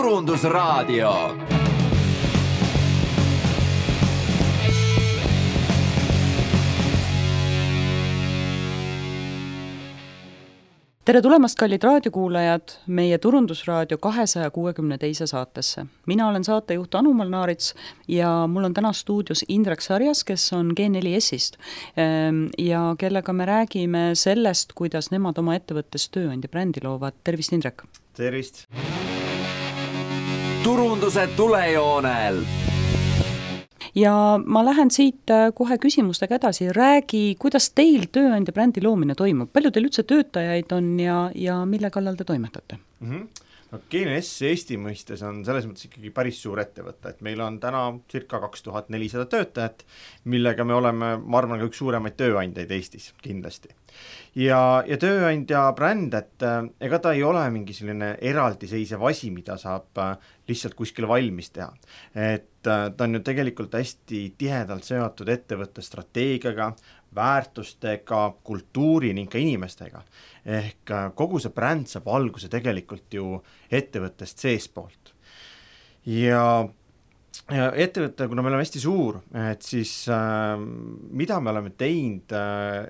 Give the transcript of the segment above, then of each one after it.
Turundusraadio. Tere tulemast, kallid raadiokuulajad, meie Turundusraadio 262. saatesse. Mina olen saatejuht Anu Malnaarits ja mul on täna stuudios Indrek Sarjas, kes on G4S-ist ja kellega me räägime sellest, kuidas nemad oma ettevõttes tööandja brändi loovad. Tervist, Indrek! Tervist! Turunduse tulejoonel! Ja ma lähen siit kohe küsimustega edasi. Räägi, kuidas teil tööandja brändi loomine toimub? Palju teil üldse töötajaid on ja mille kallal te toimetate? No, G4S Eesti mõistes on selles mõttes ikkagi päris suur ettevõte, et meil on täna circa 2400 töötajat, millega me oleme, ma arvan, ka üks suuremaid tööandjaid Eestis kindlasti. Ja tööandja bränd, et ega ta ei ole mingi selline eraldiseisev asi, mida saab lihtsalt kuskil valmis teha. Et ta on ju tegelikult hästi tihedalt seotud ettevõtte strateegiaga, väärtustega, kultuuri ning ka inimestega. Ehk kogu see bränd saab alguse tegelikult ju ettevõttest seespoolt. Ja ettevõtte, kuna me oleme hästi suur, et siis mida me oleme teinud,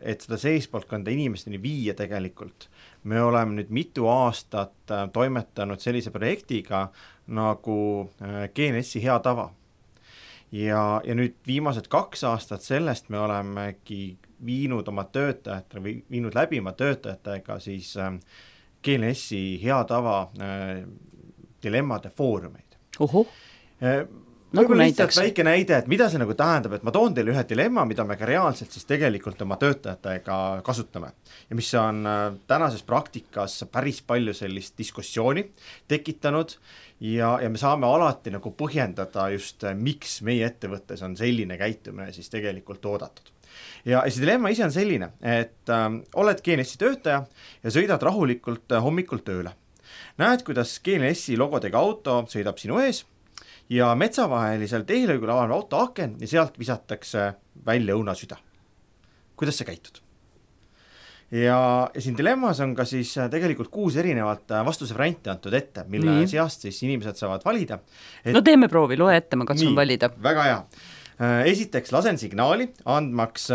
et seda seespoolt kanda inimesteni viia tegelikult. Me oleme nüüd mitu aastat toimetanud sellise projektiga nagu G4S-i hea tava. Ja nüüd viimased 2 aastat sellest me olemegi viinud oma töötajatele või viinud läbi oma töötajatega siis G4S-i hea tava dilemmade foorumeid. Nagu näiteks? Väike näide, et mida see nagu tähendab, et ma toon teile ühe dilemma, mida me ka reaalselt siis tegelikult oma töötajatega kasutame. Ja mis on tänases praktikas päris palju sellist diskussiooni tekitanud ja me saame alati nagu põhjendada just, miks meie ettevõttes on selline käitumine siis tegelikult oodatud. Ja see dilemma ise on selline, et oled G4S-i töötaja ja sõidad rahulikult hommikul tööle. Näed, kuidas G4S-i logodega auto sõidab sinu ees ja metsavahelisel teelõigul avaneb auto aken ja sealt visatakse välja õunasüda. Kuidas sa käitud? Ja siin dilemmas on ka siis tegelikult 6 erinevat vastuse varianti antud ette, mille seast siis inimesed saavad valida. No teeme proovi, loe ette, ma katsun valida. Väga hea. Esiteks lasen signaali, andmaks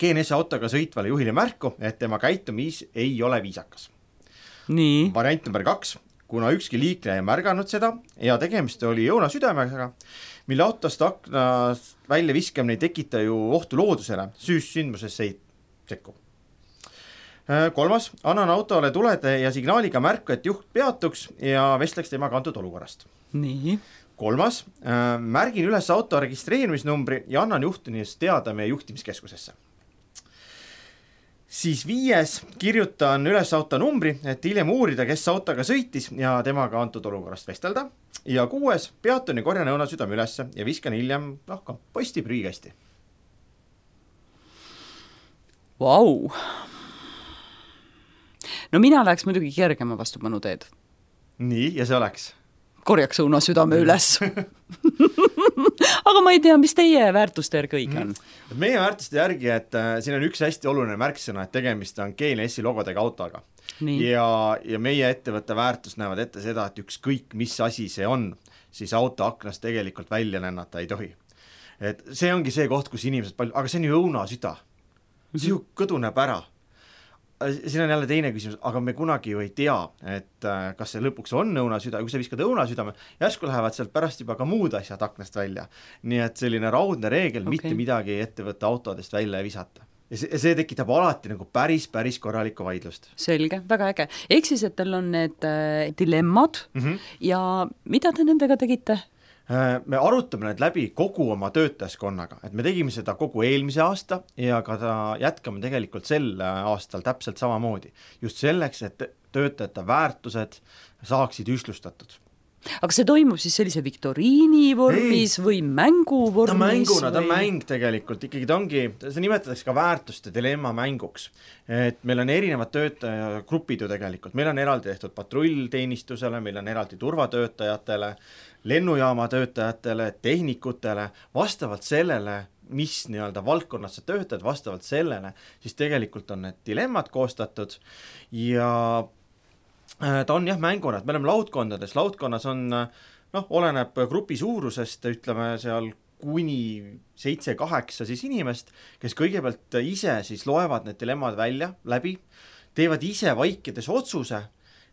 G4S autoga sõitvale juhile märku, et tema käitumis ei ole viisakas. Nii. Variant number 2. Kuna ükski liikleja ei märganud seda ja tegemist oli õunasüdamega, mille autost aknast välja viskamine ei tekita ju ohtu loodusele, sündmusesse ei sekku. 3. Annan autole tulede ja signaaliga märku, et juht peatuks ja vestleks temaga antud olukorrast. Nii. 3. Märgin üles auto registreerimisnumbri ja annan juhtunist teada meie juhtimiskeskusesse. Siis 5. kirjutan üles auto numbri, et hiljem uurida, kes autoga sõitis ja temaga antud olukorrast vestelda. Ja 6. peatun ja korjan õunasüdame ülesse ja viskan hiljem posti prügikasti. Vau! No mina läheks muidugi kergema vastupanu teed. Nii, ja see oleks? Korjaks õunasüdame üles. Aga ma ei tea, mis teie väärtuste järgi õige on? Meie väärtuste järgi, et siin on üks hästi oluline märksõna, et tegemist on G4S-i logodega autoga. Ja meie ettevõtte väärtus näevad ette seda, et ükskõik mis asi see on, siis auto aknast tegelikult välja lennata ei tohi. Et see ongi see koht, kus inimesed palju, aga see on ju õunasüda. See ju kõduneb ära. Siin on jälle teine küsimus, aga me kunagi ju ei tea, et kas see lõpuks on õunasüda, kui sa viskad õunasüdame, järsku lähevad sealt pärast juba ka muud asjad aknast välja. Nii et selline raudne reegel, mitte midagi ettevõtte autodest välja ei visata. Ja see tekitab alati nagu päris korralikku vaidlust. Selge, väga äge. Ehk siis, et teil on need dilemmad ja mida te nendega tegite? Me arutame need läbi kogu oma töötajaskonnaga, et me tegime seda kogu eelmise aasta ja ka jätkame tegelikult sel aastal täpselt samamoodi. Just selleks, et töötajate väärtused saaksid ühtlustatud. Aga see toimub siis sellise viktoriini vormis või mängu vormis? Ta on mäng tegelikult, ikkagi ta ongi, see nimetatakse ka väärtuste dilemma mänguks. Et meil on erinevad töötajagrupid ju tegelikult, meil on eraldi tehtud patrullteenistusele, meil on eraldi turvatöötajatele, lennujaama töötajatele, tehnikutele, vastavalt sellele, mis nii-öelda valdkonnas sa töötad, vastavalt sellele, siis tegelikult on need dilemmad koostatud ja ta on jah mänguna, et me oleme laudkonnas on oleneb grupi suurusest, ütleme seal kuni 7-8 siis inimest, kes kõigepealt ise siis loevad need dilemmad välja läbi, teevad ise vaikides otsuse,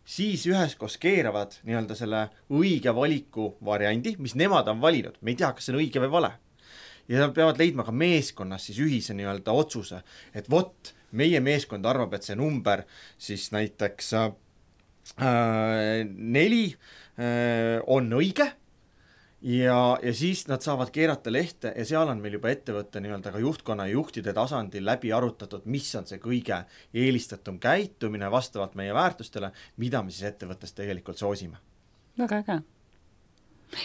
siis üheskoos keeravad nii-öelda selle õige valiku variandi, mis nemad on valinud, me ei tea, kas see on õige või vale. Ja nad peavad leidma ka meeskonnas siis ühise nii-öelda otsuse, et vot, meie meeskond arvab, et see number siis näiteks 4 on õige ja siis nad saavad keerata lehte ja seal on meil juba ettevõtte nii-öelda ka juhtkonna ja juhtide tasandil läbi arutatud, mis on see kõige eelistatum käitumine vastavalt meie väärtustele, mida me siis ettevõttes tegelikult soosime. Väga äge.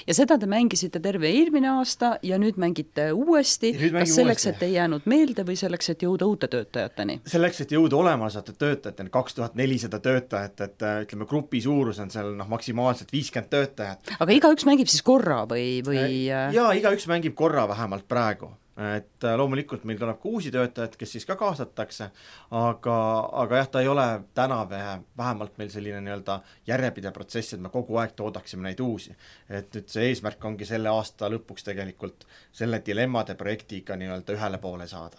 Ja seda te mängisite terve eelmine aasta ja nüüd mängite uuesti, kas selleks, et ei jäänud meelde või selleks, et jõuda uute töötajateni? Selleks, et jõuda olemasolevate töötajateni, 2400 töötajat, et ütleme, grupi suurus on seal maksimaalselt 50 töötajat. Aga igaüks mängib siis korra või? Jaa, igaüks mängib korra vähemalt praegu. Et loomulikult meil tuleb ka uusi töötajad, kes siis ka kaasatakse, aga jah, ta ei ole täna vähemalt meil selline nii-öelda järjepidev protsess, et me kogu aeg toodaksime neid uusi. Et nüüd see eesmärk ongi selle aasta lõpuks tegelikult selle dilemmade projektiga nii-öelda ühele poole saada.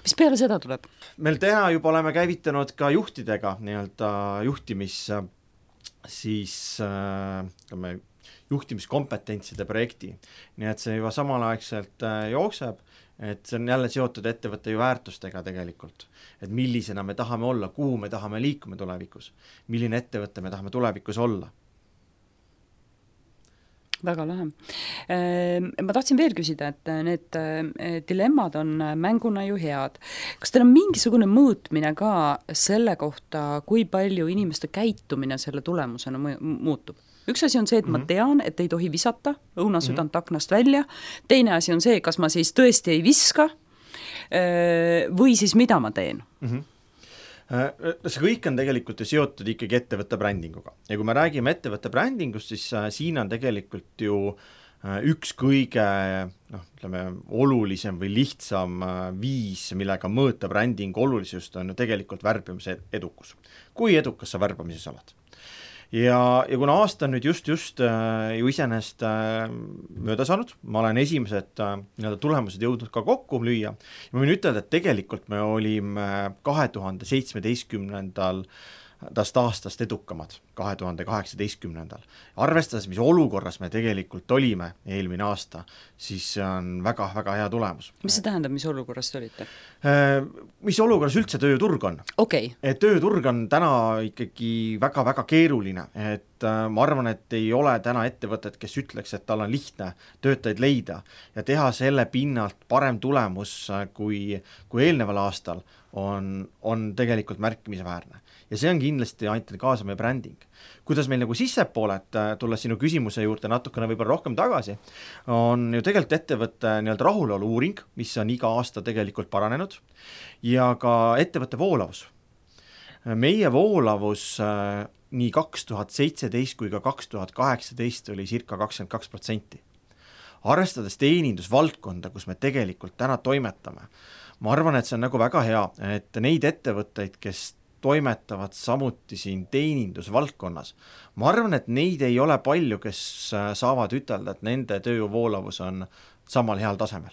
Mis peale seda tuleb? Meil täna juba oleme käivitanud ka juhtidega nii-öelda juhtimiskompetentside projekti. Nii et see juba samalaegselt jookseb, et see on jälle seotud ettevõtte ju väärtustega tegelikult. Et millisena me tahame olla, kuhu me tahame liikume tulevikus, milline ettevõtte me tahame tulevikus olla. Väga lahe. Ma tahtsin veel küsida, et need dilemmad on mänguna ju head. Kas teil on mingisugune mõõtmine ka selle kohta, kui palju inimeste käitumine selle tulemusena muutub? Üks asi on see, et ma tean, et ei tohi visata õunasüdant aknast välja. Teine asi on see, kas ma siis tõesti ei viska või siis mida ma teen. See kõik on tegelikult ju seotud ikkagi ettevõtte brändinguga. Ja kui me räägime ettevõtte brändingust, siis siin on tegelikult ju üks kõige olulisem või lihtsam viis, millega mõõta brändingu olulisust, on ju tegelikult värbamise edukus. Kui edukas sa värbamises oled? Ja kuna aasta on nüüd just ju iseenest mööda saanud, ma olen esimesed tulemused jõudnud ka kokku lüüa. Ja ma võin ütelda, et tegelikult me olime 2017. aastast edukamad 2018. Arvestades, mis olukorras me tegelikult olime eelmine aasta, siis see on väga-väga hea tulemus. Mis see tähendab, mis olukorras te olite? Mis olukorras üldse tööturg on? Okay. Et tööturg on täna ikkagi väga-väga keeruline, et ma arvan, et ei ole täna ettevõtet, kes ütleks, et tal on lihtne töötajaid leida ja teha selle pinnalt parem tulemus kui eelneval aastal on tegelikult märkimisväärne. Ja see on kindlasti aitanud kaasa meie bränding. Kuidas meil nagu sissepooled, tulles sinu küsimuse juurde natukene võib-olla rohkem tagasi, on ju tegelikult ettevõtte nii-öelda rahulolu uuring, mis on iga aasta tegelikult paranenud, ja ka ettevõtte voolavus. Meie voolavus nii 2017 kui ka 2018 oli circa 22%. Arvestades teenindusvaldkonda, kus me tegelikult täna toimetame, ma arvan, et see on nagu väga hea, et neid ettevõtteid, kes toimetavad samuti siin teenindusvaldkonnas. Ma arvan, et neid ei ole palju, kes saavad ütelda, et nende tööjõuvoolavus on samal heal tasemel.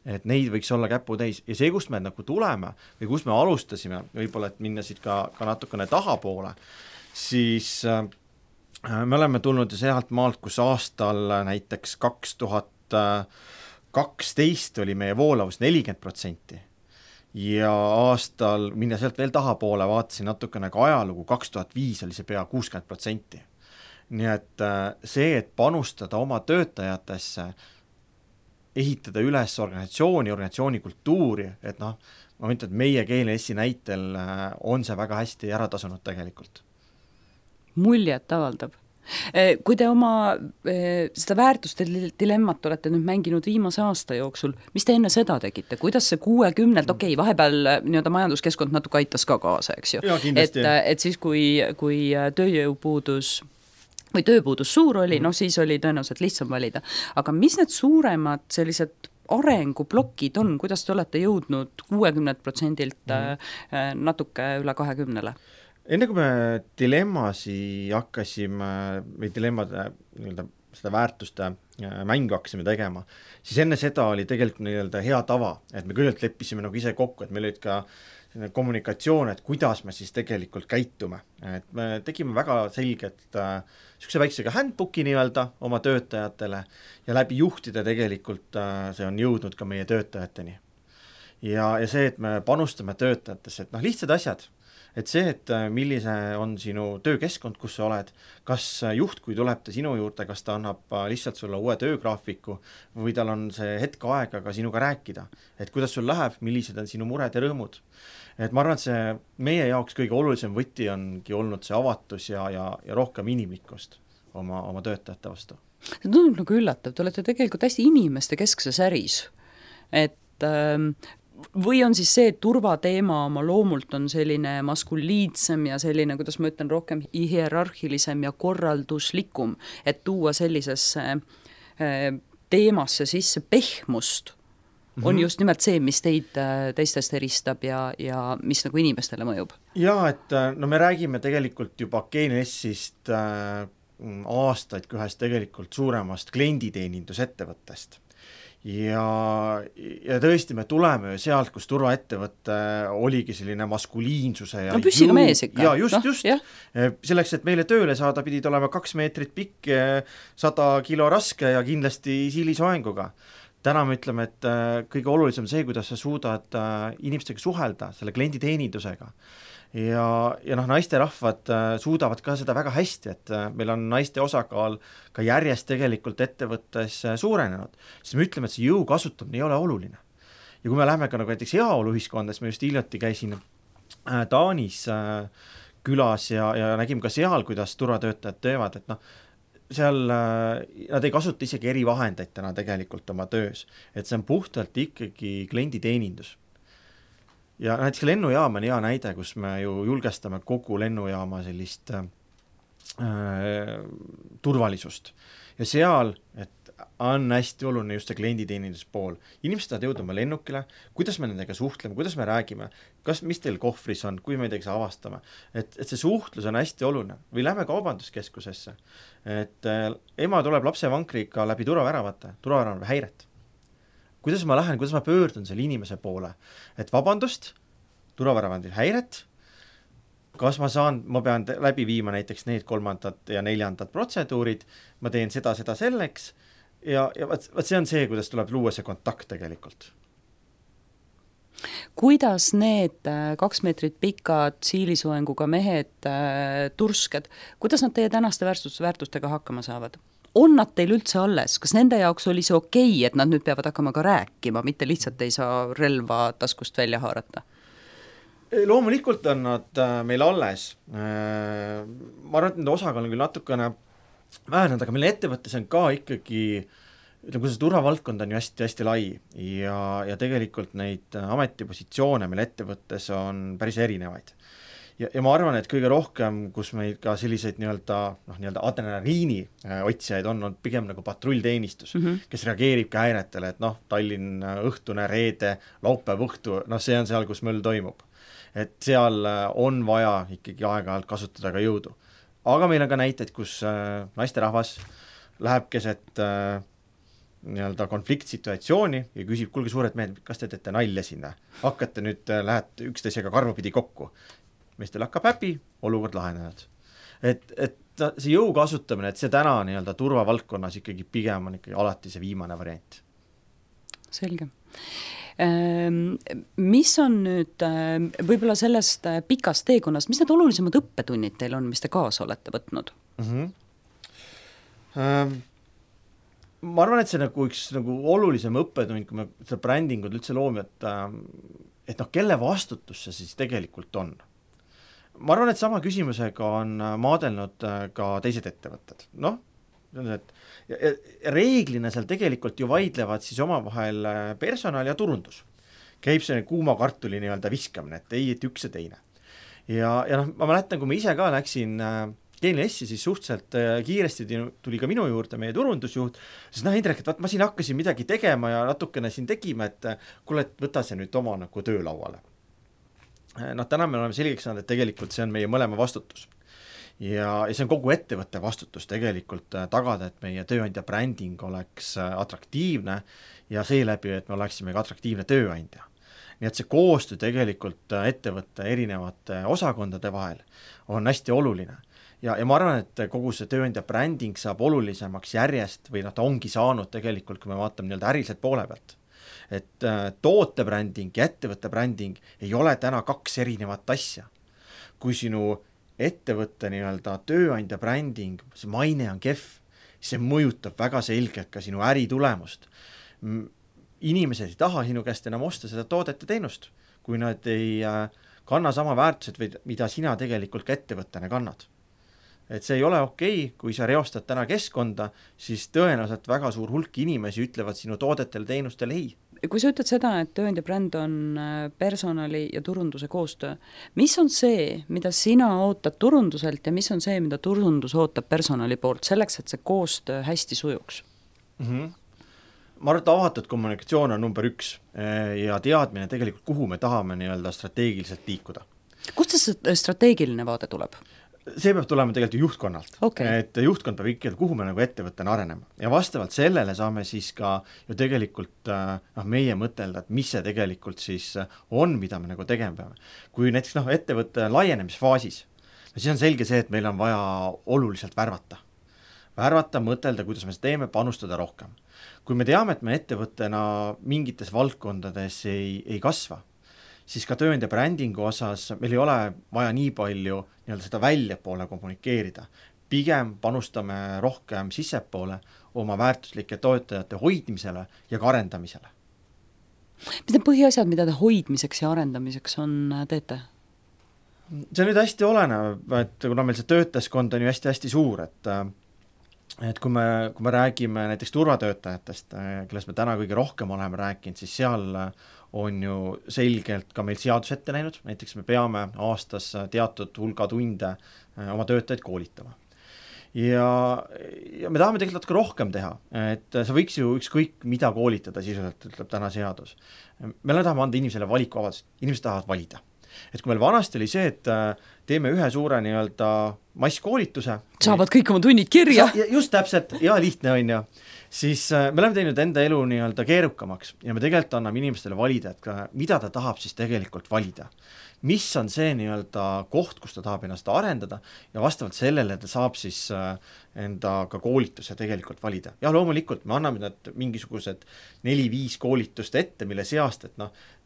Et neid võiks olla käputäis. Ja see, kust me nagu tuleme või kus me alustasime, võib-olla, et minna siit ka natukene tahapoole, siis me oleme tulnud sealt maalt, kus aastal näiteks 2012 oli meie voolavus 40%. Ja aastal, minna sealt veel tahapoole, vaatasin natukene ka ajalugu, 2005 oli see pea 60%. Nii et see, et panustada oma töötajatesse, ehitada üles organisatsiooni kultuuri, et ma mõtlen, et meie GNS-i näitel on see väga hästi ära tasunud tegelikult. Muljet avaldab. Kui te oma seda väärtuste dilemmat olete nüüd mänginud viimase aasta jooksul, mis te enne seda tegite? Kuidas see 60, vahepeal nii-öelda majanduskeskkond natuke aitas ka kaasa, eks ju? Et siis, kui tööjõupuudus või tööpuudus suur oli, siis oli tõenäoliselt lihtsam valida. Aga mis need suuremad sellised arenguplokid on, kuidas te olete jõudnud 60%-lt natuke üle 20%-le? enne kui me dilemmasi hakkasime või dilemmade nii-öelda seda väärtuste mängu hakkasime tegema, siis enne seda oli tegelikult nii-öelda hea tava, et me küllalt leppisime nagu ise kokku, et meil olid ka kommunikatsioon, et kuidas me siis tegelikult käitume. Et me tegime väga selget niisuguse väiksega handbooki nii-öelda oma töötajatele ja läbi juhtide tegelikult see on jõudnud ka meie töötajateni. Ja see, et me panustame töötajatesse, et lihtsad asjad, et see, et millise on sinu töökeskkond, kus sa oled, kas juht, kui tuleb ta sinu juurde, kas ta annab lihtsalt sulle uue töögraafiku või tal on see hetk aega ka sinuga rääkida, et kuidas sul läheb, millised on sinu mured ja rõõmud. Et ma arvan, et see meie jaoks kõige olulisem võti ongi olnud see avatus ja rohkem inimlikkust oma töötajate vastu. See tundub nagu üllatav, te olete tegelikult hästi inimeste keskses äris, et või on siis see, et turvateema oma loomult on selline maskuliidsem ja selline, kuidas ma ütlen, rohkem hierarhilisem ja korralduslikum, et tuua sellisesse teemasse sisse pehmust, on just nimelt see, mis teid teistest eristab ja mis nagu inimestele mõjub. Jaa, et me räägime tegelikult juba GNS-ist aastaid kui ühest tegelikult suuremast klienditeenindusettevõttest. Ja tõesti me tuleme sealt, kus turvaettevõtte oligi selline maskuliinsuse ja püssiga mees ikka. Ja just. Selleks, et meile tööle saada, pidid olema 2 meetrit pikk, 100 kilo raske ja kindlasti siilisoenguga. Täna me ütleme, et kõige olulisem see, kuidas sa suudad inimestega suhelda, selle klienditeenindusega. Ja naisterahvad suudavad ka seda väga hästi, et meil on naiste osakaal ka järjest tegelikult ettevõttes suurenenud, siis me ütleme, et see jõu kasutamine ei ole oluline. Ja kui me läheme ka nagu näiteks heaolu ühiskondas, me just hiljuti käisin Taanis külas ja nägime ka seal, kuidas turvatöötajad teevad, et seal nad ei kasuta isegi erivahendeid täna tegelikult oma töös, et see on puhtalt ikkagi klienditeenindus. Ja näiteks lennujaam on hea näide, kus me ju julgestame kogu lennujaama sellist turvalisust. Ja seal, et on hästi oluline just see klienditeenindus pool. Inimesed tahavad jõuda oma lennukile, kuidas me nendega suhtleme, kuidas me räägime, mis teil kohvris on, kui me midagi avastame. Et see suhtlus on hästi oluline. Või lähme kaubanduskeskusesse. Et ema tuleb lapsevankriga läbi turvaväravate, turvaväravate häiret. Kuidas ma lähen, kuidas ma pöördun selle inimese poole, et vabandust, turvaväravandil häiret, kas ma pean läbi viima näiteks need 3. ja 4. protseduurid, ma teen seda selleks ja vaat see on see, kuidas tuleb luua see kontakt tegelikult. Kuidas need 2 meetrit pikad siilisoenguga mehed, tursked, kuidas nad teie tänaste väärtustega hakkama saavad? On nad teil üldse alles? Kas nende jaoks oli see okei, et nad nüüd peavad hakkama ka rääkima, mitte lihtsalt ei saa relva taskust välja haarata? Loomulikult on nad meil alles. Ma arvan, et nende osakaal on küll natukene vähenenud, aga meil ettevõttes on ka ikkagi, ütleme, see turvavaldkond on ju hästi lai ja tegelikult neid ametipositsioone meil ettevõttes on päris erinevaid. Ja ma arvan, et kõige rohkem, kus meil ka selliseid nii-öelda adrenaliini otsijaid on pigem nagu patrullteenistus, kes reageerib ka häiretele, et Tallinn õhtune, reede, laupäev õhtu, see on seal, kus möll toimub. Et seal on vaja ikkagi aeg-ajalt kasutada ka jõudu. Aga meil on ka näiteid, kus naisterahvas läheb keset nii-öelda konfliktsituatsiooni ja küsib, kuulge suured mehed, kas te teete nalja sinna? Hakkate nüüd, lähete üksteisega karvapidi kokku. Meestel hakkab häbi, olukord lahenenud. Et see jõu kasutamine, et see täna nii-öelda turvavaldkonnas ikkagi pigem on ikkagi alati see viimane variant. Selge. Mis on nüüd võib-olla sellest pikast teekonnast, mis need olulisemad õppetunnid teil on, mis te kaasa olete võtnud? Ma arvan, et see üks olulisem õppetund, kui me seda brändingud üldse loome, et kelle vastutus see siis tegelikult on. Ma arvan, et sama küsimusega on maadelnud ka teised ettevõtted. Reeglina seal tegelikult ju vaidlevad siis omavahel personal ja turundus. Käib see kuuma kartuli nii-öelda viskamine, et ei, et üks ja teine. Ja ma mäletan, kui ma ise ka läksin GNS-i, siis suhteliselt kiiresti tuli ka minu juurde meie turundusjuht, siis Indrek, et ma siin hakkasin midagi tegema ja natukene siin tegime, et kuule, et võta see nüüd oma töölauale. täna me oleme selgeks saanud, et tegelikult see on meie mõlema vastutus. Ja see on kogu ettevõtte vastutus tegelikult tagada, et meie tööandja bränding oleks atraktiivne ja seeläbi, et me oleksime ka atraktiivne tööandja. Nii et see koostöö tegelikult ettevõtte erinevate osakondade vahel on hästi oluline. Ja ma arvan, et kogu see tööandja bränding saab olulisemaks järjest või ta ongi saanud tegelikult, kui me vaatame nii-öelda äriliselt poole pealt. Et toote bränding ja ettevõtte bränding ei ole täna kaks erinevat asja. Kui sinu ettevõtte nii-öelda tööandja bränding, see maine on kehv, see mõjutab väga selgelt ka sinu äritulemust. Inimesed ei taha sinu käest enam osta seda toodet ja teenust, kui nad ei kanna sama väärtused, mida sina tegelikult ka ettevõttena kannad. Et see ei ole okei, kui sa reostad täna keskkonda, siis tõenäoliselt väga suur hulk inimesi ütlevad sinu toodetele teenustele ei. Kui sa ütled seda, et tööandja bränd on personali ja turunduse koostöö, mis on see, mida sina ootad turunduselt ja mis on see, mida turundus ootab personali poolt selleks, et see koostöö hästi sujuks? Ma arvan, et avatud kommunikatsioon on number 1 ja teadmine tegelikult, kuhu me tahame nii-öelda strateegiliselt liikuda. Kust see strateegiline vaade tuleb? See peab tulema tegelikult juhtkonnalt, et juhtkond peab ikkagi, kuhu me nagu ettevõttena arenema ja vastavalt sellele saame siis ka ju tegelikult meie mõtelda, et mis see tegelikult siis on, mida me nagu tegema peame. Kui näiteks ettevõtte laienemisfaasis, siis on selge see, et meil on vaja oluliselt värvata, mõtelda, kuidas me seda teeme, panustada rohkem. Kui me teame, et me ettevõttena mingites valdkondades ei kasva, siis ka tööandja brändingu osas meil ei ole vaja nii palju nii-öelda seda väljapoole kommunikeerida. Pigem panustame rohkem sissepoole oma väärtuslike toetajate hoidmisele ja ka arendamisele. Mis need põhiasjad, mida te hoidmiseks ja arendamiseks teete? See on nüüd hästi olenev, et kuna meil see töötajaskond on ju hästi-hästi suur, et kui me räägime näiteks turvatöötajatest, kellest me täna kõige rohkem oleme rääkinud, siis seal on ju selgelt ka meil seadus ette näinud, näiteks me peame aastas teatud hulga tunde oma töötajaid koolitama. Ja me tahame tegelikult ka rohkem teha, et sa võiks ju ükskõik mida koolitada sisuliselt, ütleb täna seadus. Me tahame anda inimesele valikuvabadust, inimesed tahavad valida. Et kui meil vanasti oli see, et teeme ühe suure nii-öelda masskoolituse. Saavad kõik oma tunnid kirja. Just täpselt, ja lihtne on ju. Siis me oleme teinud enda elu nii-öelda keerukamaks ja me tegelikult anname inimestele valida, et mida ta tahab siis tegelikult valida. Mis on see nii-öelda koht, kus ta tahab ennast arendada ja vastavalt sellele ta saab siis enda ka koolituse tegelikult valida. Ja loomulikult me anname need mingisugused 4-5 koolitust ette, mille seast, et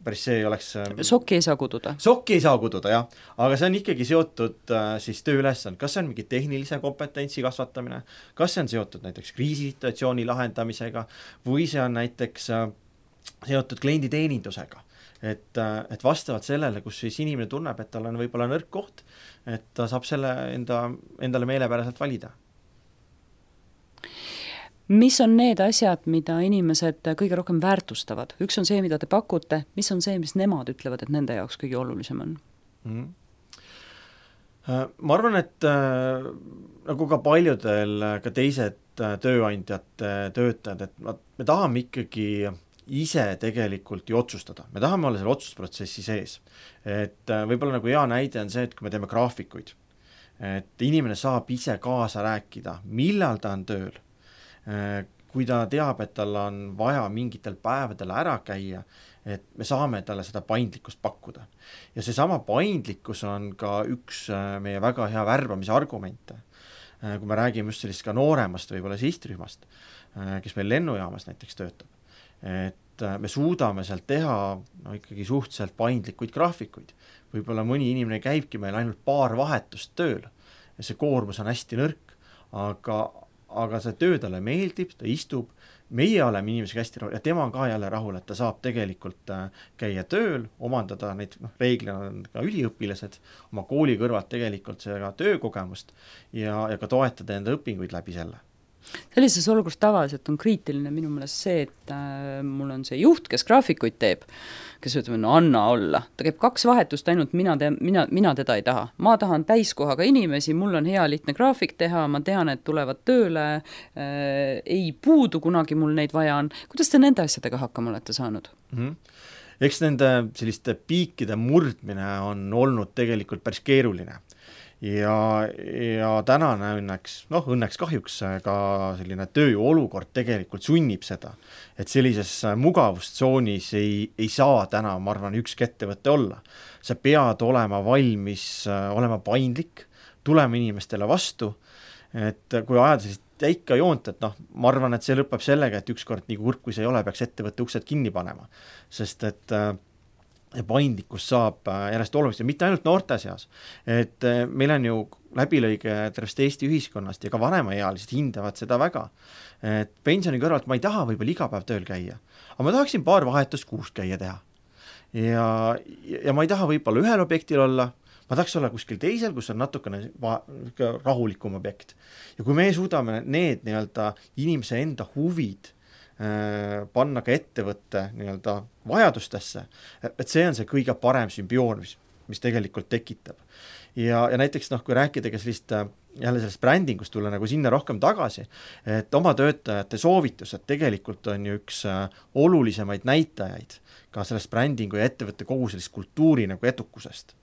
päris see ei oleks... Sokki ei saa kududa. Sokki ei saa kududa, jah. Aga see on ikkagi seotud siis tööülesand. Kas see on mingi tehnilise kompetentsi kasvatamine, kas see on seotud näiteks kriisisituatsiooni lahendamisega või see on näiteks seotud klienditeenindusega. Et vastavalt sellele, kus siis inimene tunneb, et tal on võib-olla nõrk koht, et ta saab selle endale meelepäraselt valida. Mis on need asjad, mida inimesed kõige rohkem väärtustavad? Üks on see, mida te pakute, mis on see, mis nemad ütlevad, et nende jaoks kõige olulisem on? Ma arvan, et nagu ka paljudel ka teised tööandjate töötajad, et me tahame ikkagi ise tegelikult ju otsustada. Me tahame olla selle otsusprotsessi sees. Et võib-olla nagu hea näide on see, et kui me teeme graafikuid, et inimene saab ise kaasa rääkida, millal ta on tööl, kui ta teab, et tal on vaja mingitel päevadel ära käia, et me saame talle seda paindlikkust pakkuda. Ja see sama paindlikkus on ka üks meie väga hea värbamise argumente. Kui me räägime just sellist ka nooremast võib-olla sihtrühmast, kes meil lennujaamas näiteks töötab. Et me suudame sealt teha ikkagi suhteliselt paindlikuid graafikuid. Võib-olla mõni inimene käibki meil ainult paar vahetust tööl ja see koormus on hästi nõrk, aga see töö talle meeldib, ta istub, meie oleme inimesega hästi rahul ja tema on ka jälle rahul, et ta saab tegelikult käia tööl, omandada neid reeglina on ka üliõpilased oma kooli kõrvalt tegelikult seda töökogemust ja ka toetada enda õpinguid läbi selle. Sellises olukorras tavaliselt on kriitiline minu meelest see, et mul on see juht, kes graafikuid teeb, kes ütleb, no anna olla. Ta käib 2 vahetust ainult, mina teda ei taha. Ma tahan täiskohaga inimesi, mul on hea lihtne graafik teha, ma tean, et tulevad tööle, ei puudu kunagi mul neid vaja on. Kuidas te nende asjadega hakkama olete saanud? eks nende selliste piikide murdmine on olnud tegelikult päris keeruline. Ja tänane õnneks kahjuks ka selline tööjõu olukord tegelikult sunnib seda, et sellises mugavustsoonis ei saa täna, ma arvan, ükski ettevõte olla. Sa pead olema valmis, olema paindlik, tulema inimestele vastu, et kui ajada sellist täika joont, et ma arvan, et see lõpeb sellega, et ükskord nii kurb kui see ei ole, peaks ettevõtte uksed kinni panema, sest et paindlikkus saab järjest oluliselt, mitte ainult noorte seas, et meil on ju läbilõige tervest Eesti ühiskonnast ja ka vanemaealised hindavad seda väga, et pensioni kõrvalt ma ei taha võib-olla iga päev tööl käia, aga ma tahaksin paar vahetust kuus käia teha ja ma ei taha võib-olla ühel objektil olla, ma tahaks olla kuskil teisel, kus on natukene rahulikum objekt ja kui me suudame need inimese enda huvid panna ka ettevõtte vajadustesse, et see on see kõige parem sümbioon, mis tegelikult tekitab. Ja näiteks kui rääkidagi sellest brändingust tulla nagu sinna rohkem tagasi, et oma töötajate soovitused tegelikult on ju üks olulisemaid näitajaid ka sellest brändingu ja ettevõtte kogu sellist kultuuri nagu edukusest.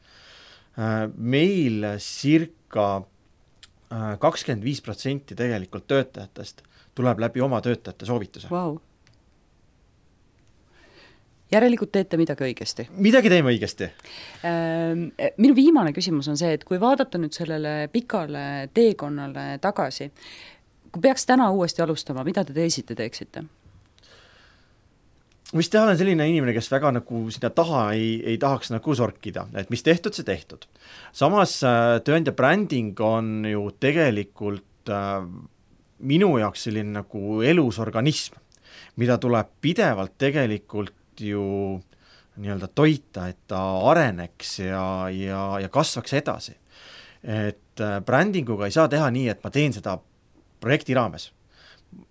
Meil circa 25% tegelikult töötajatest tuleb läbi oma töötajate soovituse. Wow. Järelikult teete midagi õigesti. Midagi teeme õigesti. Minu viimane küsimus on see, et kui vaadata nüüd sellele pikale teekonnale tagasi, kui peaks täna uuesti alustama, mida te teisiti teeksite? Mis teha olen selline inimene, kes väga nagu sinna taha ei tahaks nagu sorkida, et mis tehtud, see tehtud. Samas tööandja bränding on ju tegelikult minu jaoks selline nagu elus organism, mida tuleb pidevalt tegelikult ju toita, et ta areneks ja kasvaks edasi. Et brändinguga ei saa teha nii, et ma teen seda projekti raames.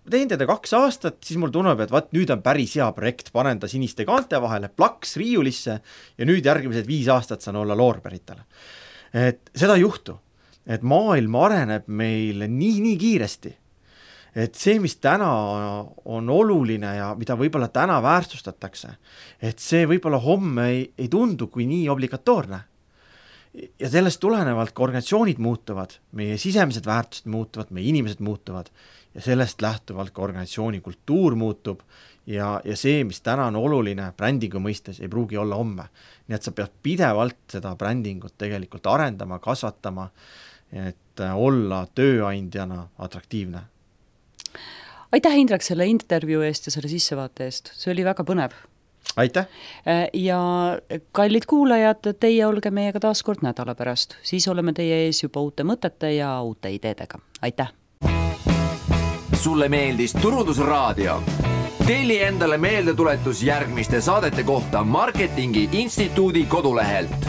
Teen teda 2 aastat, siis mul tunneb, et nüüd on päris hea projekt, panen ta siniste kaante vahele, plaks riiulisse ja nüüd järgmised 5 aastat saan olla loorberitele. Et seda ei juhtu, et maailm areneb meil nii kiiresti, et see, mis täna on oluline ja mida võib-olla täna väärtustatakse, et see võib-olla homme ei tundu kui nii obligatoorne. Ja sellest tulenevalt ka organisatsioonid muutuvad, meie sisemised väärtused muutuvad, meie inimesed muutuvad ja sellest lähtuvalt ka organisatsiooni kultuur muutub ja see, mis täna on oluline brändingu mõistes, ei pruugi olla homme. Nii et sa pead pidevalt seda brändingut tegelikult arendama, kasvatama, et olla tööandjana atraktiivne. Aitäh, Indrek, selle intervjuu eest ja selle sissevaate eest. See oli väga põnev. Aitäh! Ja kallid kuulajad, teie olge meiega taas kord nädala pärast. Siis oleme teie ees juba uute mõtete ja uute ideedega. Aitäh! Sulle meeldis Turundusraadio? Telli endale meeldetuletus järgmiste saadete kohta Marketingi Instituudi kodulehelt.